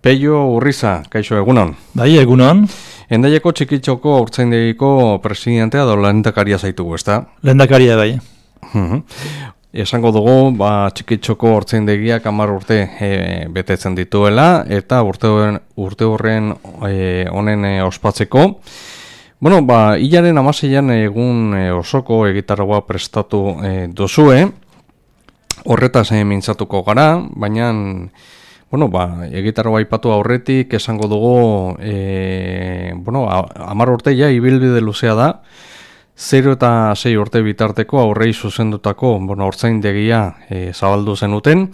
Peio Urriza, kaixo egunon. Bai, egunon. Hendaiako Txikitxoko haurtzaindegiko presidentea edo lehendakaria zaitugu, ezta? Lehendakaria bai. Esango dugu, Txikitxoko haurtzaindegiak 10 urte betetzen dituela eta urte horren honen ospatzeko. Hilaren 16an egun osoko egitaragua prestatu dozue. Horretaz mintzatuko gara, baina egitaragua aipatu aurretik esango dugu 10 urte ja ibilbide luzea da. 0 eta 6 urte bitarteko aurrei zuzendutako haurtzaindegia zabaldu zenuten.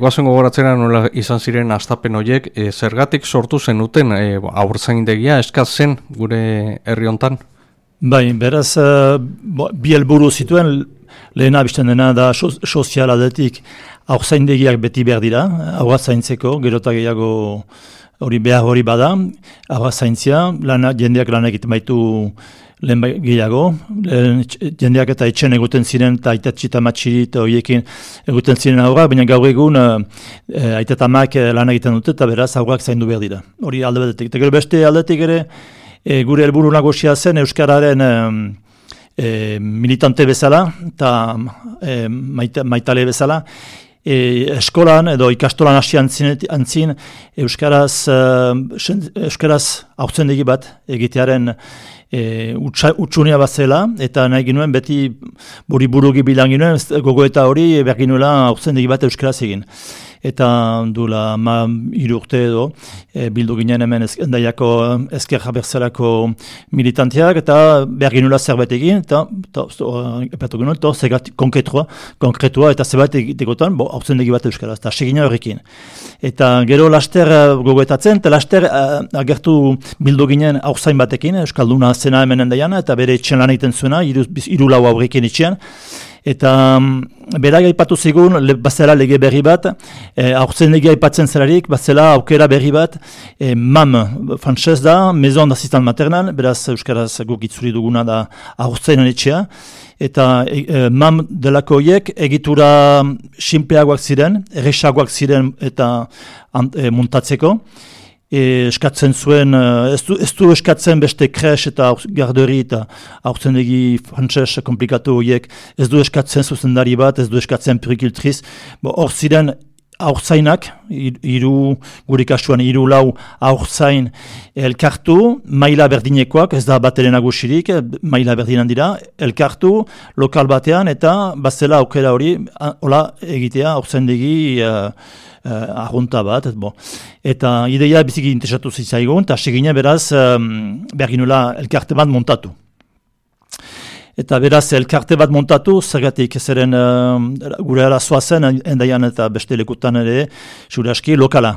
Goazen gogoratzera nola izan ziren hastapen horiek, zergatik sortu zenuten haurtzaindegia eskaz zen gure herri hontan? Bai, beraz, bi helburu zituen, lehena bizten dena da sozial aldetik haurtzaindegiak beti behar dira, haurra zaintzeko, gero eta gehiago hori behar hori bada, haurra zaintzia, jendeak lan egiten baitu lehen gehiago, jendeak eta etxen eguten ziren, eta aitatxi eta matxiri eta horiekin eguten ziren haurrak, baina gaur egun aitatamak lan egiten dute, eta beraz haurrak zaindu behar dira. Hori alde batetik. Eta gero beste aldetik ere, gure helburu nagusia zen Euskararen militante bezala, eta maitale bezala, eskolan edo ikastolan hasi antzin Euskaraz haurtzendegi bat egitearen utsunia bat zela, eta nahi ginuen beti burugi bilan ginuen, gogoeta hori behar ginuela haurtzendegi bat Euskaraz egin. Eta dula 3 urte edo bildu ginen hemen Hendaiako ezker abertzaleko militanteak, eta behar ginula zerbait egin, eta epatu genuen, eta konkretua eta zerbait egitekotan, haurtzendegi bat Euskaraz, eta segina horrekin. Eta gero laster gogoetatzen, eta laster agertu bildu ginen haurtzain batekin, Euskalduna zena hemen Hendaian, eta bere etxen lan egiten zuena, 3 aurrekin etxean. Eta berak aipatu zigun, bazela lege berri bat, haurtzaindegia aipatzen zelarik, bazela aukera berri bat, MAM, frantzez da, Maison d'Assistance Maternelle, beraz Euskaraz guk itzuri duguna da haurtzainen etxea, eta MAM delako horiek egitura sinpleagoak ziren, erresagoak ziren eta muntatzeko. Eskatzen zuen, ez du eskatzen beste kres eta garderi eta haurtzendegi frantzes komplikatu horiek, ez du eskatzen zuzendari bat, ez du eskatzen purikiltriz. Hor ziren haurtzainak, gure kasuan 3-4 haurtzain elkartu, maila berdinekoak, ez da bat ere nagusirik, maila berdinan dira, elkartu, lokal batean, eta bazela aukera hori, hola egitea haurtzendegi arrunta bat, eta ideia biziki interesatu zitzaigun, eta segine beraz behar ginula elkarte bat montatu. Eta beraz elkarte bat montatu, zergatik zeren gure arazoa zen, Hendaian eta beste lekutan ere, zure aski, lokala.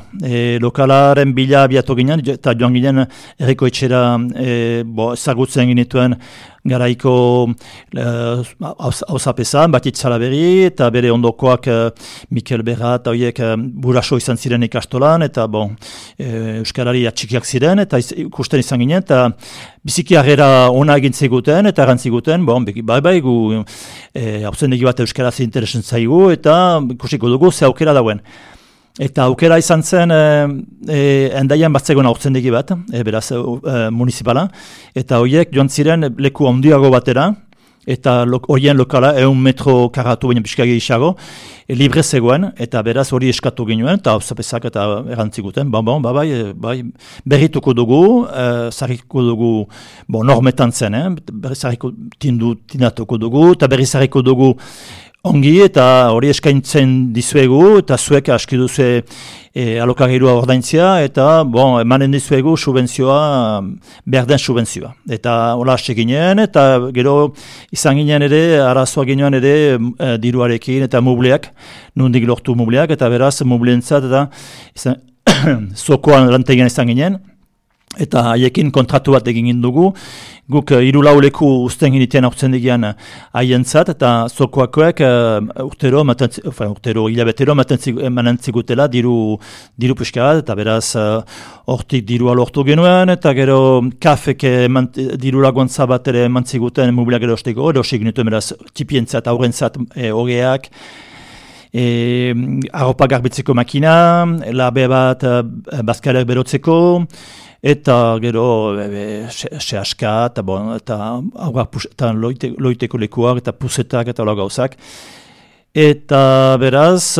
Lokalaren bila abiatu ginen, eta joan ginen herriko etxera ezagutzen ginituen garaiko hauzapezan, Batit Salaberri, eta bere ondokoak Mikel Berra eta horiek buraso izan ziren ikastolan, eta Euskarari atxikiak ziren, eta ikusten izan ginen, eta biziki harrera ona egin ziguten, eta erantziguten, bai, gu haurtzendegi bat Euskaraz interesen zaigu, eta ikusiko dugu ze aukera dauen. Eta aukera izan zen Hendaian batzegoen haurtzendegi bat, beraz municipala, eta horiek joan ziren leku handiago batera, eta horien lokala 100 metro karatu baina pixka gehiago, libre zegoen, eta beraz hori eskatu ginuen, eta hauzapezak eta erantziguten, bai, berrituko dugu, zarriko dugu, normetan zen, zarriko tindatuko dugu, eta berri zarriko dugu ongi, eta hori eskaintzen dizuegu, eta zuek aski duzu alokairua ordaintzia, eta emanen dizuegu subentzioa, behar den subentzioa. Eta hola hasi ginen, eta gero izan ginen ere, arazoa ginen ere diruarekin, eta mubleak, nondik lortu mubleak, eta beraz mubleentzat, eta zokoan lantegian izan ginen, eta haiekin kontratu bat egin dugu, guk 3-4 leku uzten ginitean haurtzendegian haientzat, eta zokoakoek urtero hilabetero emanen zigutela diru pixka bat, eta beraz hortik dirua lortu genuen, eta gero kafek diru laguntza bat ere eman ziguten mobilak erosteko, erosik genituen beraz tipientzat, aurrentzat, hogeak, arropa garbitzeko makina, labe bat bazkalek berotzeko, eta gero sehaska, eta loiteko lekuak, eta puzetak, eta hola gauzak. Eta beraz,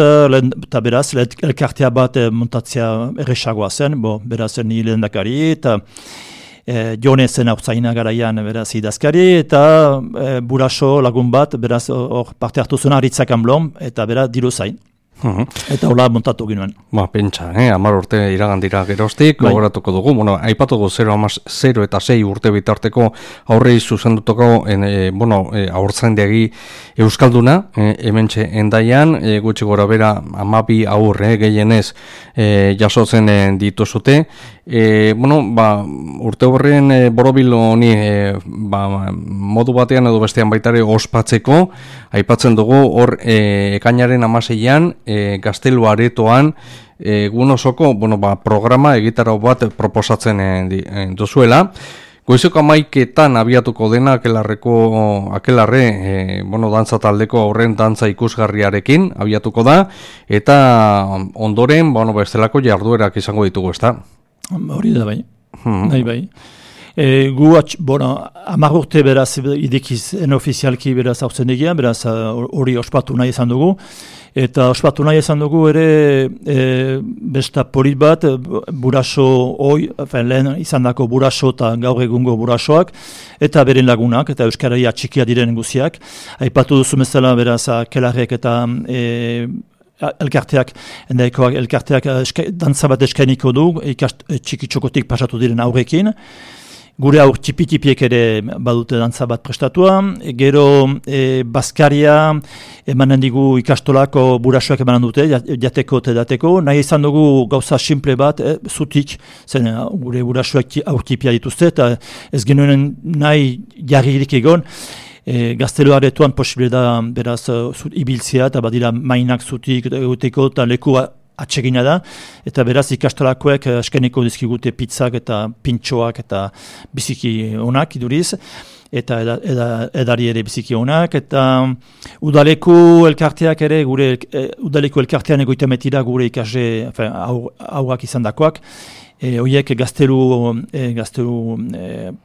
elkartea bat montatzea erresagoa zen, beraz ni lehendakari, eta Jone zen hautzaina garaian beraz idazkari, eta buraso lagun bat, beraz hor parte hartu zuen Aritzak Anblom, eta beraz diru zain. Eta hola montatu ginoen. Pentsa, 10 urte iragandira geroztik, gogoratuko dugu, aipatuko 0 eta 6 urte bitarteko aurrei zuzendutako, aurtzaindegi euskalduna, hementxe endaian, gutxi gora bera 12 aurre gehienez jasotzen dituzute. Urte horren borobil honi modu batean edo bestean baitare ospatzeko, aipatzen dugu hor ekainaren 16an Gaztelu aretoan egun osoko programa egitarau bat proposatzen duzuela. Goizeko 11etan abiatuko dena akelarre dantza taldeko aurren dantza ikusgarriarekin abiatuko da, eta ondoren bestelako jarduerak izango ditugu, ezta? Hori da bai. Bai. Gu 10 urte beraz idekiz enofizialki beraz hautzendegia, beraz hori ospatu nahi izan dugu. Eta ospatu nahi izan dugu ere besta polit bat, buraso lehen izan dako buraso eta gaur egungo burasoak, eta beren lagunak, eta euskararia txikia diren guziak. Aipatu duzu bezala beraz kelarrek eta elkarteak dantza bat eskainiko du, txikitxokotik pasatu diren aurrekin. Gure aur txipi-txipiek ere badute dantza bat prestatua, gero Baskaria emanen digu ikastolako burasoak emanen dute, jateko eta dateko, nahi izan dugu gauza simple bat, zutik, zen gure burasoak aur txipia dituzte, eta ez genuen nahi jarririk egon, Gaztelu aretoan posible da beraz ibiltzea, eta badira mainak zutik egoteko eta lekua atsegina da, eta beraz ikastolakoek eskeniko dizkigute pizzak eta pintxoak eta biziki onak iduriz, eta edari ere biziki onak, eta udaleko elkarteak ere, udaleko elkartean egoitametira gure ikasle aurrak izan dakoak, horiek gaztelu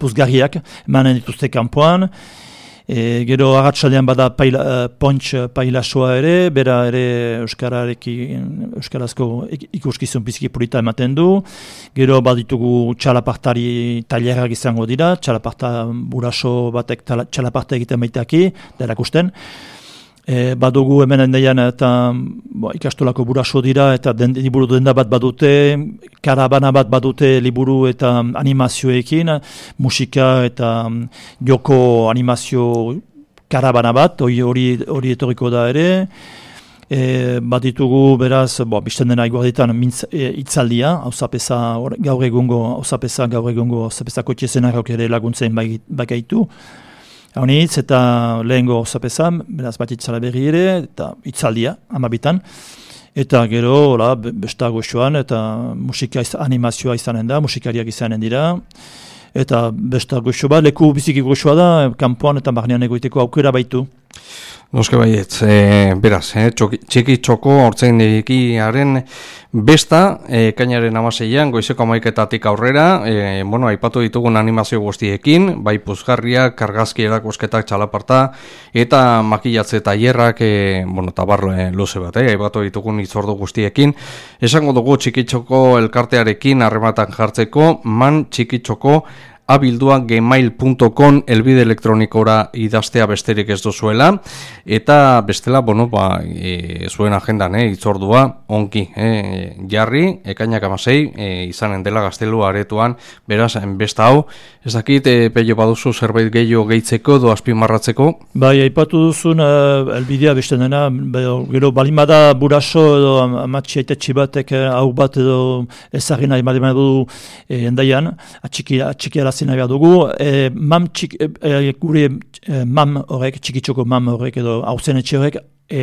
puzgarriak emanen dituzte kanpoan. Gero agatsaldean bada pontx pailasoa ere, bera ere euskarazko ikuskizun biziki polita ematen du. Gero baditugu txalapartari tailerak izango dira, txalaparta buraso batek txalaparta egiten baitaki, da erakusten. Badugu hemen endaian eta ikastolako buraso dira, eta liburu denda bat badute, karabana bat badute liburu eta animazioekin, musika eta joko animazio karabana bat, hori etorriko da ere. Baditugu beraz, bizten dena iguarditan itzaldia, gaur egungo kotxezenarok ere laguntzen bagaitu. Haunitz eta lehengo zapezan, beraz bat itzala berri ere, eta itzaldia, 12an. Eta gero, besta goxoan, eta musika animazioa izanen da, musikariak izanen dira. Eta besta goxo bat, leku biziki goxoa da, kanpoan eta barnean egoiteko aukera baitu. Noske baietz, beraz, txiki txoko hortzaindegiaren besta, ekainaren 16an, goizeko 11etatik aurrera, aipatu ditugun animazio guztiekin, bai puzgarriak, argazki erakusketak txalaparta, eta makilatze tailerrak, tabar luze bat, aipatu ditugun itzordu guztiekin. Esango dugu txikitxoko elkartearekin harrematan jartzeko, txikitxoko abildua gmail.com elbide elektronikora idaztea besterik ez duzuela, eta bestela, zuen agendan, itzordua, onki, jarri, ekainak 16, izanen dela Gaztelu aretoan, beraz, besta hau, ez dakit, pello baduzu zerbait gehiago gehitzeko, edo azpimarratzeko? Bai, aipatu duzun, elbidea beste dena, gero balimada buraso edo amatxi aitetxi batek hau bat edo ezagina ematen du endaian, atxiki arazina behar dugu, gure mam horrek, txikitxoko mam horrek edo hauzen etxe horrek,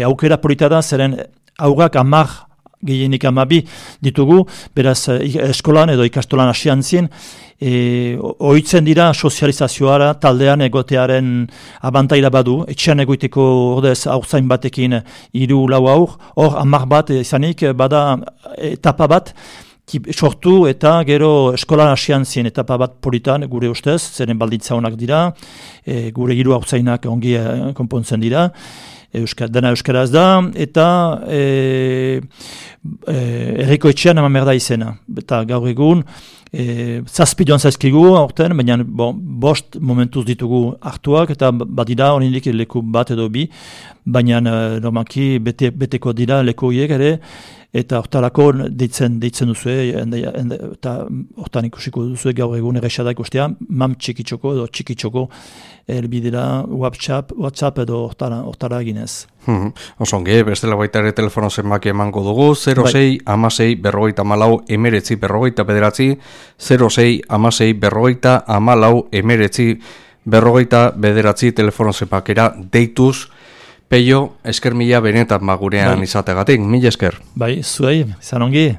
aukera polita da, zeren aurrak 10 gehienik 12 ditugu, beraz eskolan edo ikastolan hasian zien, ohitzen dira sozializazioara, taldean egotearen abantaila badu, etxean egoiteko ordez haurtzain batekin 3-4 haur, hor 10 bat izanik bada etapa bat, sortu eta gero eskolan hasian zien etapa bat politan gure ustez, zeren baldintza honak dira, gure 3 haurtzainak ongi konpontzen dira, dena euskaraz da, eta herriko etxean eman merda izena. Eta gaur egun, 7 joan zaizkigu aurten, baina 5 momentuz ditugu hartuak, eta badira oraindik leku bat edo 2, baina normalki beteko dira leku horiek ere, eta hortarako deitzen duzue, eta hortan ikusiko duzue gaur egun errexadak ustea, mam txikitxoko edo txikitxoko elbidera WhatsApp edo hortara eginez. Osongi, bestela baita ere telefono zenbaki emango dugu, 06 16 54 19 49, 06 16 54 19 49 telefono zenbakera deituz. Peio, esker mila benetan gurean izategatik, mila esker. Bai, zuei, izan ongi.